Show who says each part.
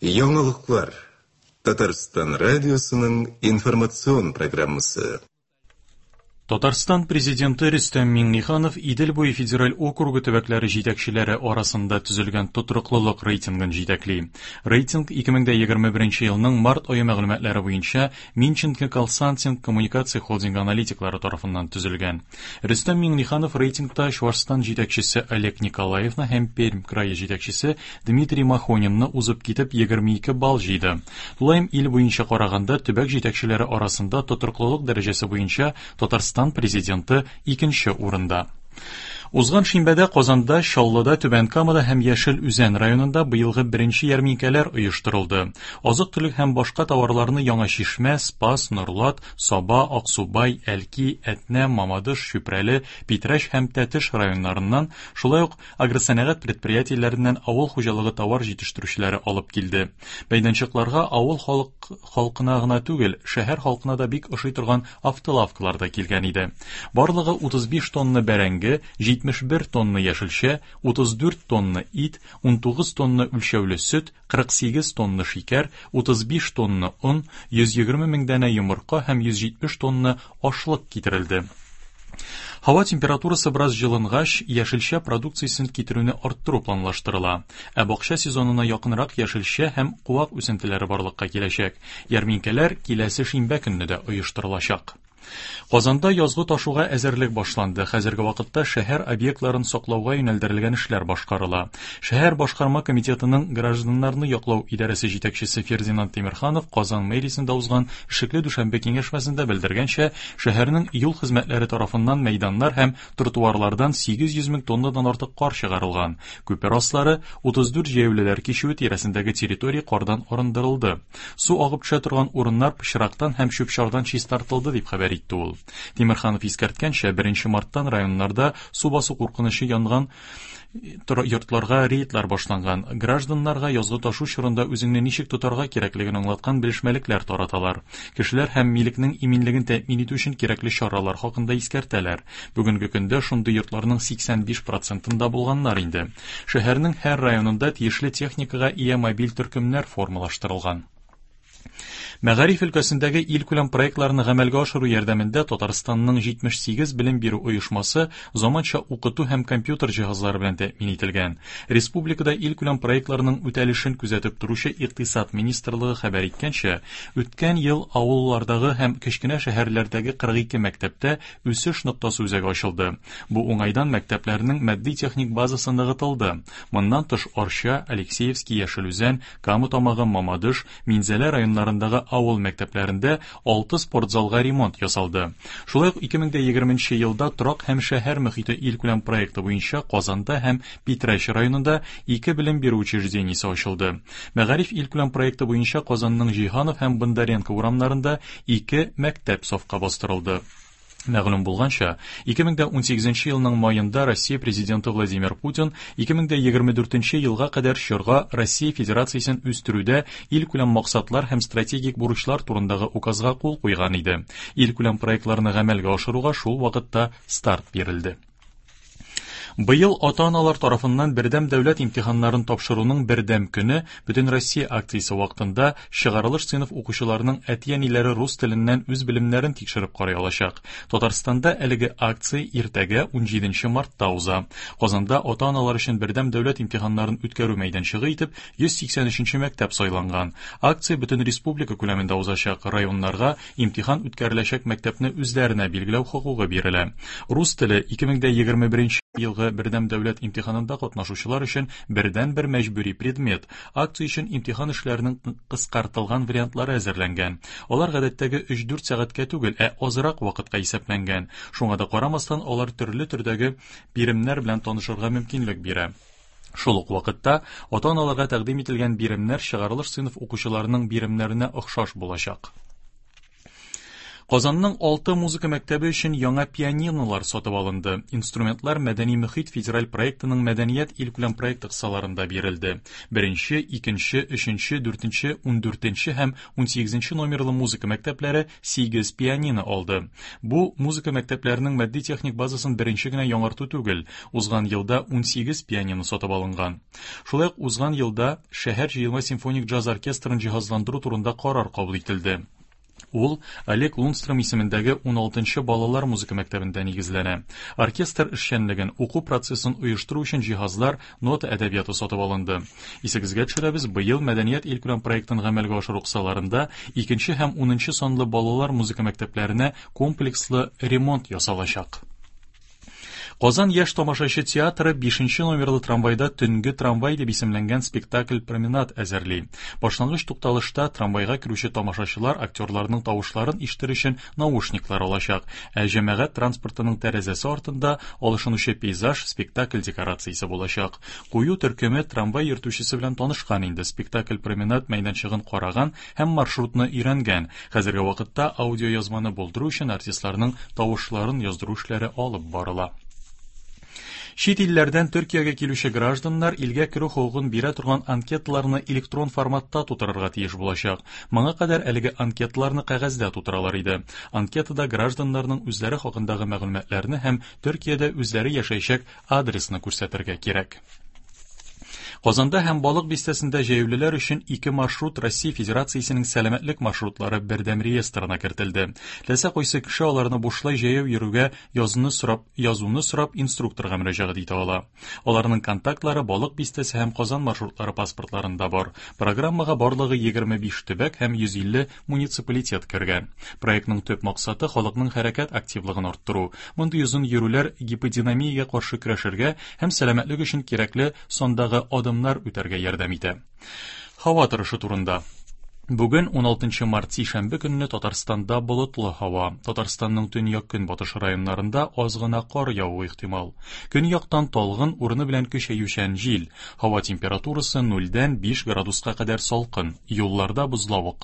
Speaker 1: Яңалыклар. Татарстан радиосының информацион программасы.
Speaker 2: Татарстан Президенты Рөстәм Миңнеханов Идел буе федераль округы төбәкләре җитәкчеләре арасында төзелгән тотрыклылык рейтингын җитәкли. Рейтинг 2021 елның март ае мәгълүматлары буенча Минченко Консалтинг коммуникация холдингы аналитиклары тарафыннан төзелгән. Рөстәм Миңнеханов рейтингта Чуашстан җитәкчесе Олег Николаевны һәм Пермь крае җитәкчесе Дмитрий Махонинны узып китеп 22 балл җыйды. Тулаем ил буенча караганда төбәк җитәкчеләре арасында тотрыклылык дәрәҗәсе буенча Татарстан Президенты икенче урында. Узган шимбәдә Казанда, Чаллыда, Түбән Камада һәм Яшел Үзән районында быелгы беренче ярминкәләр оештырылды. Азык-төлек һәм башка товарларны Яңа Чишмә, Спас, Норлат, Саба, Аксубай, Әлки, Әтнә, Мамадыш, Чүпрәле, Питрәч һәм Тәтеш районнарыннан, шулай ук агросәнәгать предприятиеләреннән авыл хуҗалыгы товар җитештерүчеләре алып килде. Мәйданчыкларга авыл халык халкына гына түгел, шәһәр халкына да бик ошый торган автолавкалар да килгән иде. Барлыгы 35 тонна бәрәңге, 71 тонна яшелчә, 34 тонна ит, 19 тонна үлчәүле сөт, 48 тонна шикәр, 35 тонна он, 120 мең данә йомырка һәм 170 тонна ашлык китерелде. Һава температурасы бераз җылынгач, яшелчә продукциясен китерүне арттыру планлаштырыла. Ә бакча сезонына якынрак яшелчә һәм куак үсентеләре барлыкка киләчәк. Ярминкәләр киләсе шимбә көнне дә оештырылачак. Казанда язгы ташуга әзерлек башланды. Хәзерге вакытта шәһәр объектларын саклауга юнәлдерелгән эшләр башкарыла. Шәһәр башкарма комитетының гражданнарны яклау идарәсе җитәкчесе Фердинанд Тимерханов Казан мэриясендә узган эшлекле дүшәмбе киңәшмәсендә белдергәнчә, шәһәрнең юл хезмәтләре тарафыннан мәйданнар һәм тротуарлардан 800 мең тоннадан артык кар чыгарылган. Күпер аслары, 34 җәяүлеләр кичүе тирәсендәге территория кардан арындырылды. Су агып төшә торган урыннар пычрактан һәм чүп-чардан чистартылды, дип хәбәр итте ул. Тимерханов искәрткәнчә, 1 марттан районнарда су басу куркынычы янган йортларга рейдлар башланган. Гражданнарга язгы ташу чорында үзеңне ничек тотарга кирәклеген аңлаткан белешмәлекләр тараталар. Кешеләр һәм милекнең иминлеген тәэмин итү өчен кирәкле чаралар хакында искәртәләр. Бүгенге көндә шундый йортларның 85 процентында булганнар инде. Шәһәрнең һәр районында тиешле техникага ия мобиль төркемнәр формалаштырылган. Мәгариф өлкәсендәге илкүләм проектларны гамәлгә ашыру ярдәмендә Татарстанның 78 белем бирү оешмасы заманча укыту һәм компьютер җиһазлары белән тәэмин ителгән. Республикада илкүләм проектларның үтәлешен күзәтеп торучы Икътисад министрлыгы хәбәр иткәнчә, үткән ел авыллардагы һәм кечкенә шәһәрләрдәге 42 мәктәптә Үсеш ноктасы үзәге ачылды. Бу уңайдан мәктәпләрнең матди-техник базасы ныгытылды. Моннан тыш Арча, Алексеевский, Яшел Үзән, Кама Тамагы, Мамадыш, Минзәлә районнарындагы авыл мәктәпләрендә алты спортзалга ремонт ясалды. Шулай ук 2020 нче елда Торак һәм шәһәр мөхите илкүләм проекты буенча Казанда һәм Питрәч районында ике белем бирү учреждениесе ачылды. Мәгариф илкүләм проекты буенча Казанның Җиһанов һәм Бондаренко урамнарында ике мәктәп сафка бастырылды. Мәгълүм булганча, 2018 елның маенда Россия Президенты Владимир Путин 2024 елга кадәр чорга Россия Федерациясен үстерүдә илкүләм максатлар һәм стратегик бурычлар турындагы указга кул куйган иде. Илкүләм проектларны гамәлгә ашыруга шул вакытта старт бирелде. Быел ата-аналар тарафыннан бердәм дәүләт имтиханнарын тапшыруның бердәм көне Бөтенроссия акциясе вакытында чыгарылыш сыйныф укучыларының әти-әниләре рус теленнән үз белемнәрен тикшереп карый алачак. Татарстанда әлеге акция иртәгә 17 мартта уза. Казанда ата-аналар өчен бердәм дәүләт имтиханнарын үткәрү мәйданчыгы итеп 183 нче мәктәп сайланган. Акция бөтен республика күләмендә узачак. Районнарга имтихан үткәреләчәк мәктәпне үзләренә билгеләү хокукы бирелә. Рус теле 2021 елгы бердәм дәүләт имтиханында катнашучылар өчен бердәнбер мәҗбүри предмет. Акция өчен имтихан эшләренең кыскартылган вариантлары әзерләнгән. Алар гадәттәге 3-4 сәгатькә түгел, ә азрак вакытка исәпләнгән. Шуңа да карамастан, алар төрле төрдәге биремнәр белән танышырга мөмкинлек бирә. Шул ук вакытта ата-аналарга тәкъдим ителгән биремнәр чыгарылыш сыйныф укучыларының биремнәренә охшаш булачак. Казанның 6 музыка мәктәбе өчен яңа пианинолар сатып алынды. Инструментлар Мәдәни мөхит федераль проектының Мәдәният илкүләм проекты кысаларында бирелде. Беренче, икенче, өченче, дүртенче, ундүртенче һәм унсигезенче номерлы музыка мәктәпләре 8 пианино алды. Бу музыка мәктәпләренең матди-техник базасын беренче генә яңарту түгел. Узган елда 18 пианино сатып алынган. Шулай ук узган елда шәһәр җыелма симфоник джаз оркестрын җиһазландыру турында карар кабул ителде. Ул Олег Лунстром исемендәге 16-нчы балалар музыка мәктәбендә нигезләнә. Оркестр эшчәнлеген, уку процессын оештыру өчен җиһазлар, нота әдәбияты сатып алынды. Исегезгә төшерәбез, быел Мәдәният илкүләм проектын гамәлгә ашыру кысаларында 2 һәм 10 санлы балалар музыка мәктәпләренә комплекслы ремонт ясалачак. Казан яшь тамашачы театры 5 номерлы трамвайда Төнге трамвай дип исемләнгән спектакль-променад әзерли. Башлангыч тукталышта трамвайга керүче тамашачылар актерларның тавышларын ишетер өчен наушниклар алачак, ә җәмәгать транспортының тәрәзәсе артында алышынучы пейзаж спектакль декорациясе булачак. Кую төркеме трамвай йөртүчесе белән танышкан инде, спектакль-променад мәйданчыгын караган һәм маршрутны өйрәнгән. Хәзерге вакытта аудиоязманы булдыру өчен артистларның тавышларын яздыру эшләре алып барыла. Чит илләрдән Төркиягә килүче гражданнар илгә керү хокукын бирә торган анкеталарны электрон форматта тутырырга тиеш булачак. Моңа кадәр әлеге анкеталарны кәгазьдә тутыралар иде. Анкетада гражданнарның үзләре хакындагы мәгълүматларны һәм Төркиядә үзләре яшәячәк адресны күрсәтергә кирәк. Казанда һәм Балык бистәсендә җәяүлеләр өчен 2 маршрут Россия Федерациясенең сәламәтлек маршрутлары бердәм реестрына кертелде. Теләсә кайсы кеше аларны бушлай җәяү йөрүгә язуны сорап инструкторга мөрәҗәгать итә ала. Аларның контактлары Балык бистәсе һәм Казан маршрутлары паспортларында бар. Программага барлыгы 25 төбәк һәм 150 муниципалитет кергән. Проектның төп максаты халыкның хәрәкәт активлыгын арттыру. Мондый озын йөрүләр гиподинамиягә каршы көрәшергә һәм сәламәтлек өчен кирәкле сандагы адымнар үтәргә ярдәм итә. Һава торышы турында. Бүген 16 март сишәмбе көнне Татарстанда болытлы һава. Татарстанның төньяк-көнбатыш районнарында аз гына кар явуы ихтимал. Көньяктан талгын урыны белән көчәючән җил. Һава температурасы нульдән 5 градуска кадәр салкын. Юлларда бозлавык.